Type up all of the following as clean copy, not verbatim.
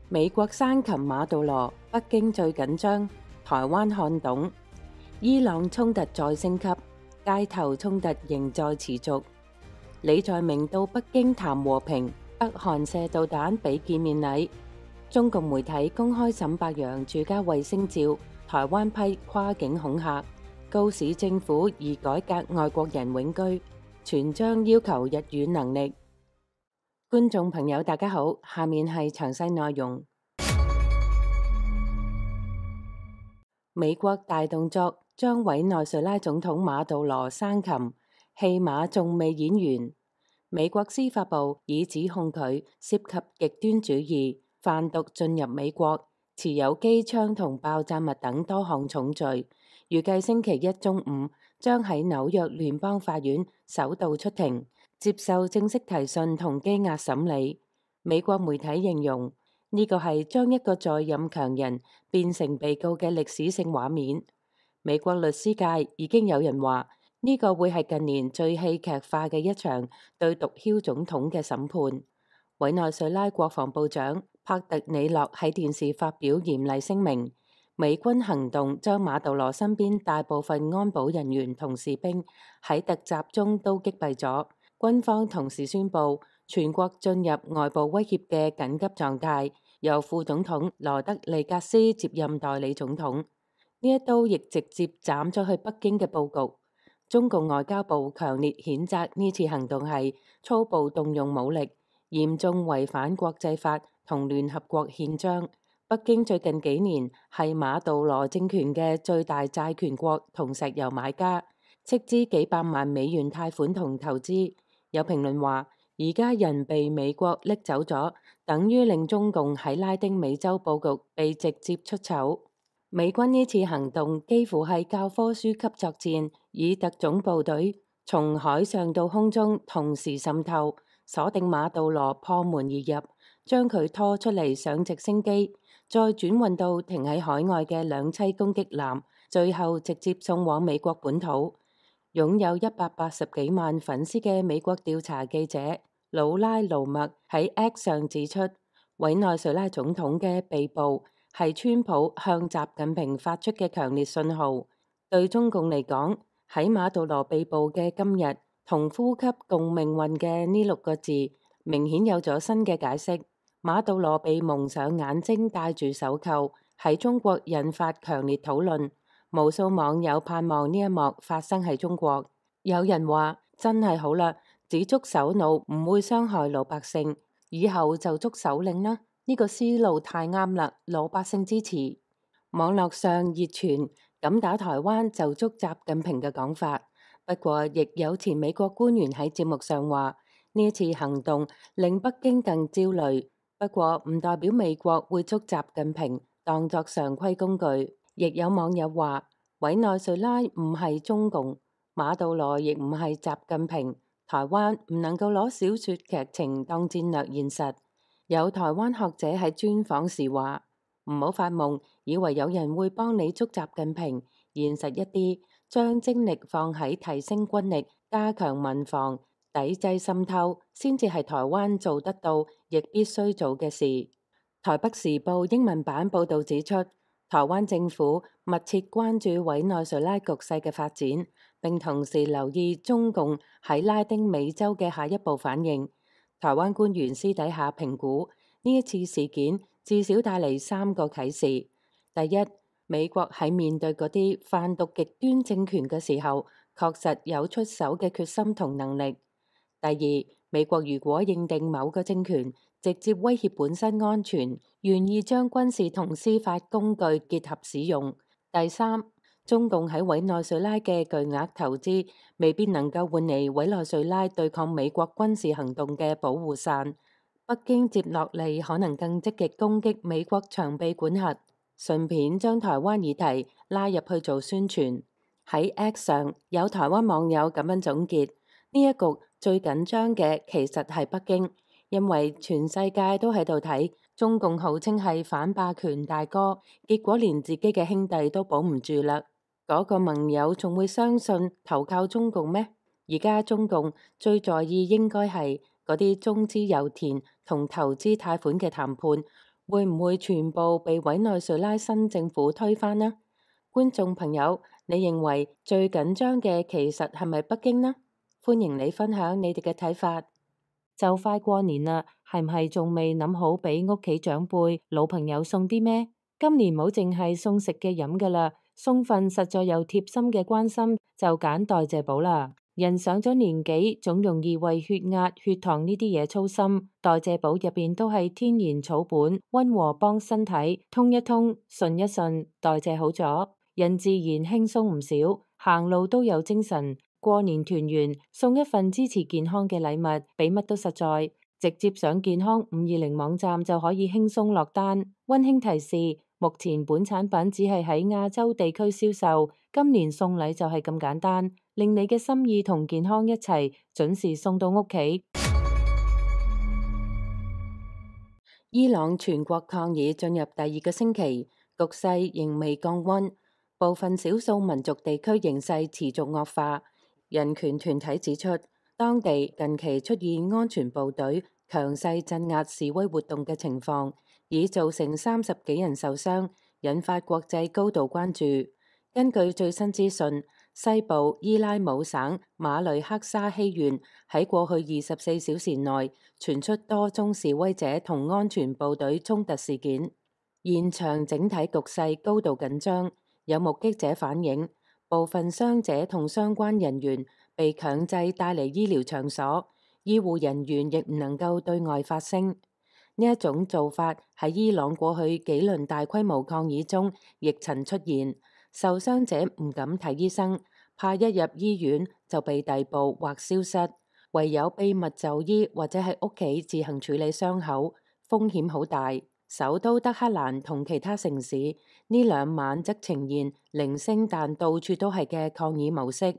美國生擒馬杜羅，北京最緊張，台灣看懂。伊朗衝突再升級，街頭衝突仍在持續。李在明到北京談和平，北韓射導彈俾見面禮。中共媒體公開沈伯洋住家衛星照，台灣批跨境恐嚇，告市政府宜改革外國人永居，全章要求日語能力。觀眾朋友大家好，下面係詳細內容。美國大動作，將委內瑞拉總統馬杜羅生擒，戲碼仲未演完。美國司法部已指控佢涉及極端主義、販毒進入美國、持有機槍同爆炸物等多項重罪，預計星期一中午將喺紐約聯邦法院首度出庭，接受正式提訊同羈押審理。美國媒體形容呢個係將一個在任強人變成被告嘅歷史性畫面。美國律師界已經有人話呢個會係近年最戲劇化嘅一場對毒梟總統嘅審判。委內瑞拉國防部長帕特里諾喺電視發表嚴厲聲明，美軍行動將馬杜羅身邊大部分安保人員同士兵喺突襲中都擊斃咗。軍方同時宣布全國進入外部威脅嘅緊急狀態，由副總統羅德里格斯接任代理總統。呢一刀亦直接斬咗去北京嘅佈局。中共外交部強烈譴責呢次行動係粗暴動用武力，嚴重違反國際法同聯合國憲章。北京最近幾年係馬杜羅政權嘅最大債權國同石油買家，斥資幾百萬美元貸款同投資。有評論話，而家人被美國拎走咗，等於令中共喺拉丁美洲佈局被直接出醜。美軍呢次行動幾乎係教科書級作戰，以特種部隊從海上到空中同時滲透，鎖定馬杜羅，破門而入，將佢拖出嚟上直升機，再轉運到停喺海外嘅兩棲攻擊艦，最後直接送往美國本土。擁有180幾萬粉絲嘅美國調查記者魯拉盧默喺 X 上指出，委內瑞拉總統嘅被捕係川普向習近平發出嘅強烈信號。對中共嚟講，喺馬杜羅被捕嘅今日，同呼吸共命運嘅呢6個字，明顯有咗新嘅解釋。馬杜羅被蒙上眼睛，戴住手銬，喺中國引發強烈討論。無數網友盼望呢一幕發生喺中國。有人話真係好啦，只捉首腦唔會傷害老百姓，以後就捉首領啦。呢個思路太啱啦，老百姓支持。網絡上熱傳敢打台灣就捉習近平嘅講法，不過亦有前美國官員喺節目上話呢一次行動令北京更焦慮，不過唔代表美國會捉習近平當作常規工具。亦有網友話委內瑞拉唔係中共，馬杜羅亦唔係習近平，台灣唔能夠攞小說劇情當戰略現實。有台灣學者喺專訪時話，唔好發夢，以為有人會幫你捉習近平，現實一啲，將精力放喺提升軍力、加強民防、抵制滲透，先至係台灣做得到亦必須做嘅事。台北時報英文版報導指出，台灣政府密切關注委內瑞拉局勢嘅發展，並同時留意中共喺拉丁美洲嘅下一步反應。台灣官員私底下評估呢一次事件至少帶嚟3個啟示：第一，美國喺面對嗰啲販毒極端政權嘅時候，確實有出手嘅決心同能力；第二，美國如果認定某個政權直接威脅本身安全，願意將軍事同司法工具結合使用；第三，中共喺委內瑞拉嘅巨額投資未必能夠換嚟委內瑞拉對抗美國軍事行動嘅保護傘。北京接落嚟可能更積極攻擊美國長臂管轄，順便將台灣議題拉入去做宣傳。喺 X 上有台灣網友咁樣總結，呢一局最緊張嘅其實係北京，因為全世界都喺度睇中共號稱係反霸權大哥，結果連自己嘅兄弟都保唔住啦。嗰個盟友仲會相信投靠中共咩？而家中共最在意應該係嗰啲中資油田同投資貸款嘅談判，會唔會全部被委內瑞拉新政府推翻呢？觀眾朋友，你認為最緊張嘅其實係咪北京呢？歡迎你分享你哋嘅睇法。就快過年啦，係唔係仲未諗好俾屋企長輩、老朋友送啲咩？今年冇淨係送食嘅飲噶啦，送份實在又貼心嘅關心，就揀代謝寶啦。人上咗年紀，總容易為血壓、血糖呢啲嘢操心。代謝寶入邊都係天然草本，溫和幫身體通一通、順一順，代謝好咗，人自然輕鬆唔少，行路都有精神。過年團圓，送一份支持健康嘅禮物，比乜都實在。直接上健康520網站就可以輕鬆落單。溫馨提示：目前本產品只係喺亞洲地區銷售，今年送禮就係咁簡單，令你嘅心意同健康一齊準時送到屋企。伊朗全國抗議進入第2個星期，局勢仍未降溫，部分少數民族地區形勢持續惡化。人權團體指出，當地近期出現安全部隊強勢鎮壓示威活動嘅情況，已造成30幾人受傷，引發國際高度關注。根據最新資訊，西部伊拉姆省馬雷克沙希縣喺過去24小時內傳出多宗示威者同安全部隊衝突事件，現場整體局勢高度緊張。有目擊者反映，部分傷者同相關人員被強制帶離醫療場所，醫護人員亦唔能夠對外發聲。呢一種做法喺伊朗過去幾輪大規模抗議中亦曾出現，受傷者唔敢睇醫生，怕一入醫院就被逮捕或消失，唯有秘密就醫或者喺屋企自行處理傷口，風險好大。首都德黑蘭同其他城市呢2晚則呈現零星但到處都係嘅抗議模式。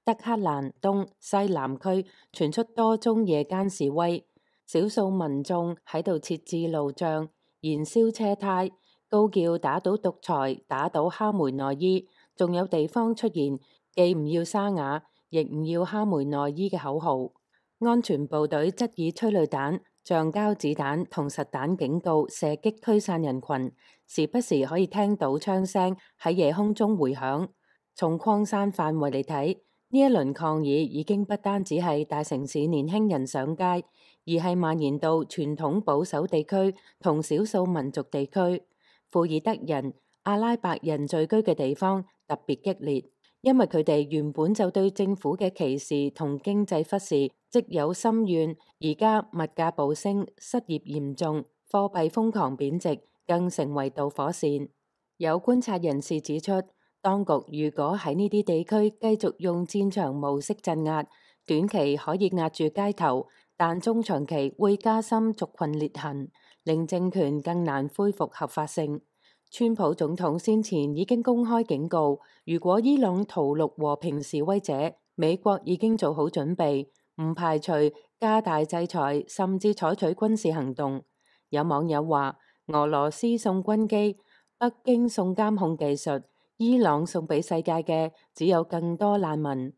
德黑蘭東西南區傳出多宗夜間示威，少數民眾喺度設置路障、燃燒車胎、高叫打倒獨裁、打倒哈梅內伊，仲有地方出現既唔要沙啞，亦唔要哈梅內伊嘅口號。安全部隊則以催淚彈、橡膠子彈同實彈警告射擊驅散人群，時不時可以聽到槍聲喺夜空中回響。從擴散範圍嚟睇，呢一輪抗議已經不單止係大城市年輕人上街，而係蔓延到傳統保守地區同少數民族地區。庫爾德人、阿拉伯人聚居嘅地方特別激烈，因為佢哋原本就對政府嘅歧視同經濟忽視積有深怨，而家物價暴升、失業嚴重、貨幣瘋狂貶值，更成為導火線。有觀察人士指出，當局如果喺呢啲地區繼續用戰場模式鎮壓，短期可以壓住街頭，但中長期會加深族群裂痕，令政權更難恢復合法性。川普總統先前已經公開警告，如果伊朗屠戮和平示威者，美國已經做好準備，唔排除加大制裁，甚至採取軍事行動。有網友話，俄羅斯送軍機，北京送監控技術，伊朗送俾世界嘅只有更多難民。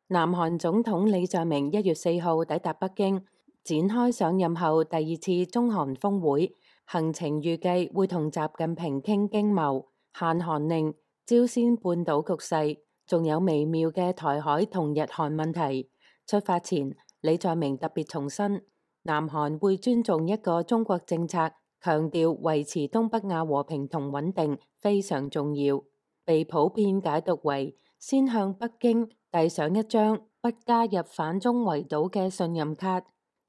南韓總統李在明1月4號抵達北京，展開上任後第2次中韓峰會，行程預計會同習近平傾經貿、限韓令、朝鮮半島局勢，仲有微妙嘅台海同日韓問題。出發前，李在明特別重申，南韓會尊重一個中國政策，強調維持東北亞和平同穩定非常重要，被普遍解讀為先向北京遞上一張不加入反中圍堵嘅信任卡。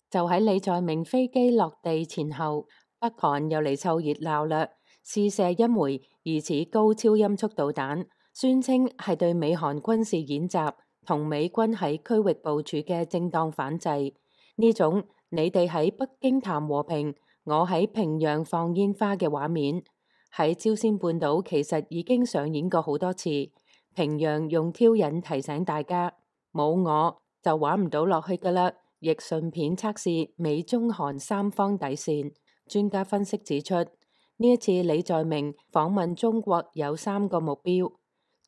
就喺李在明飛機落地前後，北韓又嚟湊熱鬧啦，試射一枚疑似高超音速導彈，宣稱係對美韓軍事演習同美軍喺區域部署嘅正當反制。呢種你哋喺北京談和平，我喺平壤放煙花嘅畫面，喺朝鮮半島其實已經上演過好多次。平壤用挑釁提醒大家，冇我就玩唔到落去噶啦。亦順便測試美中韓三方底線。專家分析指出，呢一次李在明訪問中國有3個目標：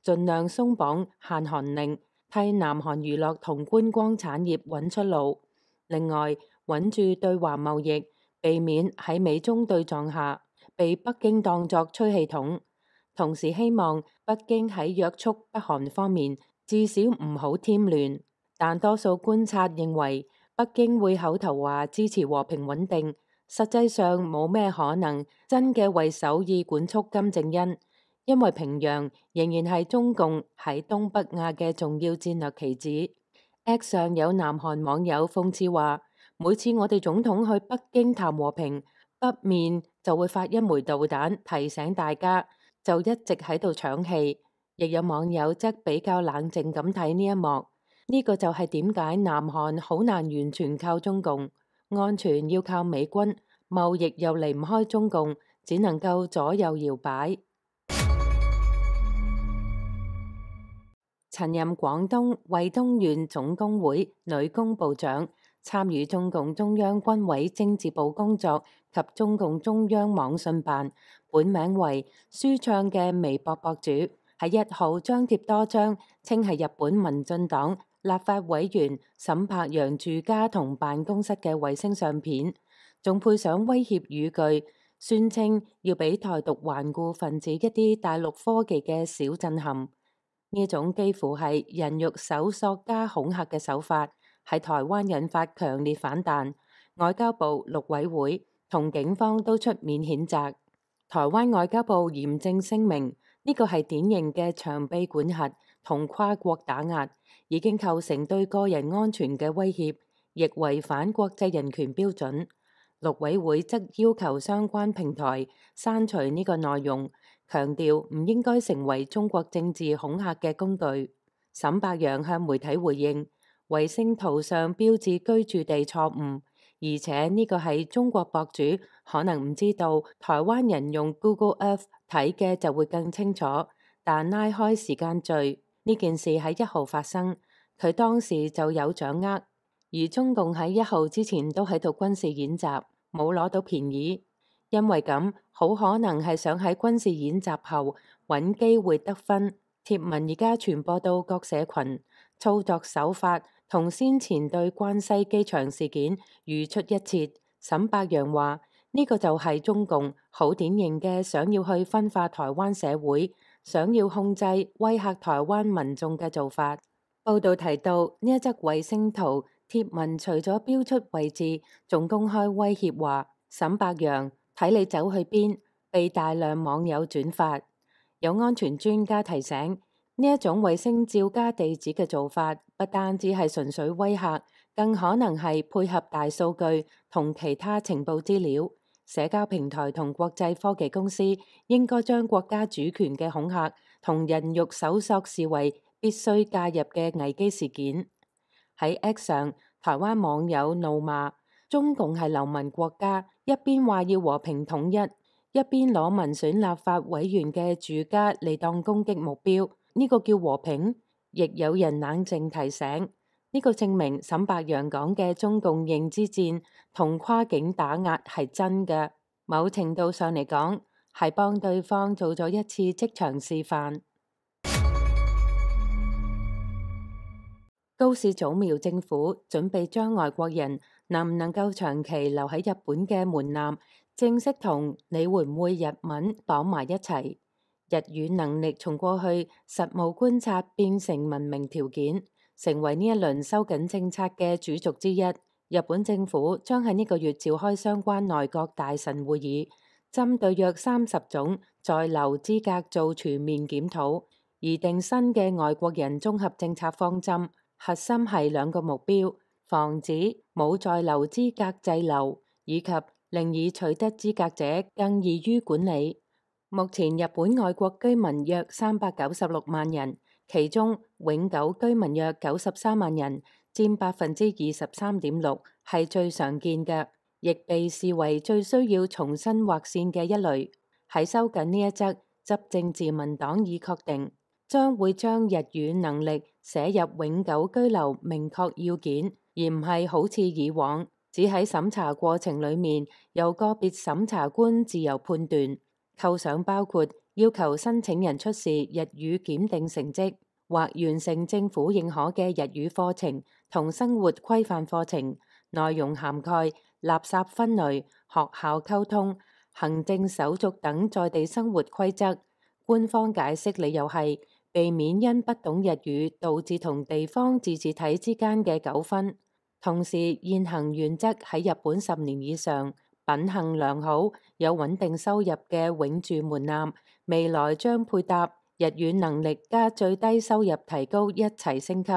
盡量鬆綁限韓令，替南韓娛樂同觀光產業揾出路；另外，穩住對華貿易，避免喺美中對撞下被北京當作吹氣筒。同時希望北京喺約束北韓方面至少唔好添亂。但多數觀察認為，北京會口頭話支持和平穩定，實際上冇咩可能真嘅為首爾管束金正恩，因為平壤仍然係中共喺東北亞嘅重要戰略棋子。X 上有南韓網友諷刺話，每次我哋總統去北京談和平，北面就會發一枚導彈提醒大家，就一直喺度搶戲。亦有網友則比較冷靜咁睇呢一幕，呢個就係點解南韓好難完全靠中共，安全要靠美軍，貿易又離唔開中共，只能夠左右搖擺。曾任廣東惠東縣總工會女工部長，參與中共中央軍委政治部工作及中共中央網信辦，本名為舒暢嘅微博博主，喺1號張貼多張稱係日本民進黨立法委員沈伯洋住家同辦公室嘅衛星相片，仲配上威脅語句，宣稱要俾台獨頑固分子一啲大陸科技嘅小震撼。呢種幾乎係人肉搜索加恐嚇嘅手法，喺台灣引發強烈反彈。外交部、陸委會同警方都出面譴責。台灣外交部嚴正聲明，呢個係典型嘅長臂管轄同跨國打壓，已經構成對個人安全嘅威脅，亦違反國際人權標準。陸委會則要求相關平台刪除呢個內容，強調唔應該成為中國政治恐嚇嘅工具。沈伯洋向媒體回應，衛星圖上標誌居住地錯誤，而且呢個係中國博主，可能唔知道台灣人用 Google Earth 睇嘅就會更清楚。但拉開時間序，呢件事喺1號發生，佢當時就有掌握，而中共喺1號之前都喺度軍事演習，冇攞到便宜。因為咁，好可能係想喺軍事演習後揾機會得分。貼文而家傳播到各社群，操作手法同先前對關西機場事件如出一轍。沈伯洋話：呢個就係中共好典型嘅想要去分化台灣社會，想要控制威嚇台灣民眾嘅做法。報道提到呢一則衛星圖貼文，除咗標出位置，仲公開威脅話沈伯洋睇你走去邊，被大量網友轉發。有安全專家提醒，呢一種衛星照加地址嘅做法，不單止係純粹威嚇，更可能係配合大數據同其他情報資料。社交平台同國際科技公司應該將國家主權嘅恐嚇同人肉搜索視為必須介入嘅危機事件。喺 X 上，台灣網友怒罵中共係流氓國家，一邊話要和平統一，一邊攞民選立法委員嘅住家嚟當攻擊目標，呢個叫和平？亦有人冷靜提醒，呢個證明沈伯洋講嘅中共認知戰同跨境打壓係真嘅，某程度上嚟講係幫對方做咗一次職場示範。高市早苗政府準備將外國人能唔能夠長期留喺日本嘅門檻正式同你會唔會日文綁埋一齊。日語能力從過去實務觀察變成文明條件，成為呢一輪收緊政策嘅主軸之一。日本政府將喺呢個月召開相關內閣大臣會議，針對約30種在留資格做全面檢討，擬定新嘅外國人綜合政策方針。核心係2個目標：防止冇在留資格滯留，以及令已取得資格者更易於管理。目前日本外國居民約396萬人，其中永久居民約93萬人，佔23.6%，係最常見嘅，亦被視為最需要重新劃線嘅一類。喺收緊呢一則，執政自民黨已確定，將會將日語能力寫入永久居留明確要件，而唔係好似以往只喺審查過程裡面由個別審查官自由判斷。構想包括要求申請人出示日語檢定成績，或完成政府認可嘅日語課程同生活規範課程，內容涵蓋垃圾分類、學校溝通、行政手續等在地生活規則。官方解釋理由係避免因不懂日語導致同地方自治體之間嘅糾紛。同時，現行原則喺日本10年以上、品行良好、有穩定收入嘅永住門檻，未來將配搭日語能力加最低收入提高一齊升級。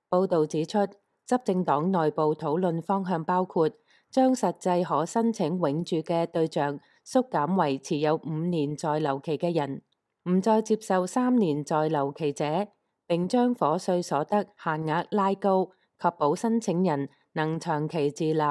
報導指出，執政黨內部討論方向包括將實際可申請永住嘅對象縮減為持有5年在留期嘅人，唔再接受3年在留期者，並將伙稅所得限額拉高，確保申請人能長期自立，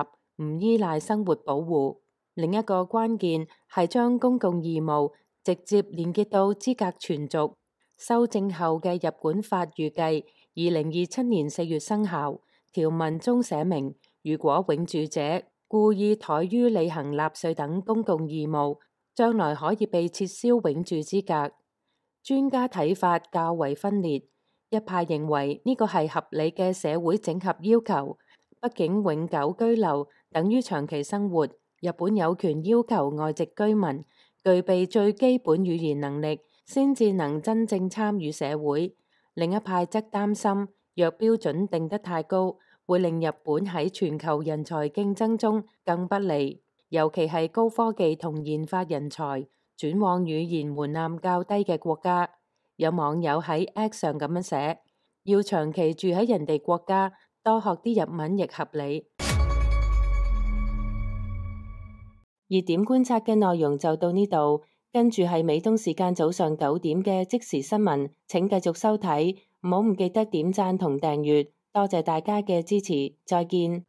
唔依賴生活保護。另一個關鍵係將公共義務直接連結到資格存續。修正後嘅日本法預計2027年4月生效，條文中寫明，如果永住者故意怠於履行納稅等公共義務，將來可以被撤銷永住資格。專家睇法較為分裂，一派認為呢個係合理嘅社會整合要求，畢竟永久居留等於長期生活，日本有權要求外籍居民具備最基本語言能力，先至能真正參與社會。另一派則擔心，若標準定得太高，會令日本喺全球人才競爭中更不利，尤其係高科技同研發人才轉往語言門檻較低嘅國家。有網友喺 X 上咁樣寫：要長期住喺人哋國家，多學啲日文亦合理。熱點觀察嘅內容就到呢度，跟住係美東時間早上9點嘅即時新聞，請繼續收睇，唔好唔記得點讚同訂閱，多謝大家嘅支持，再見。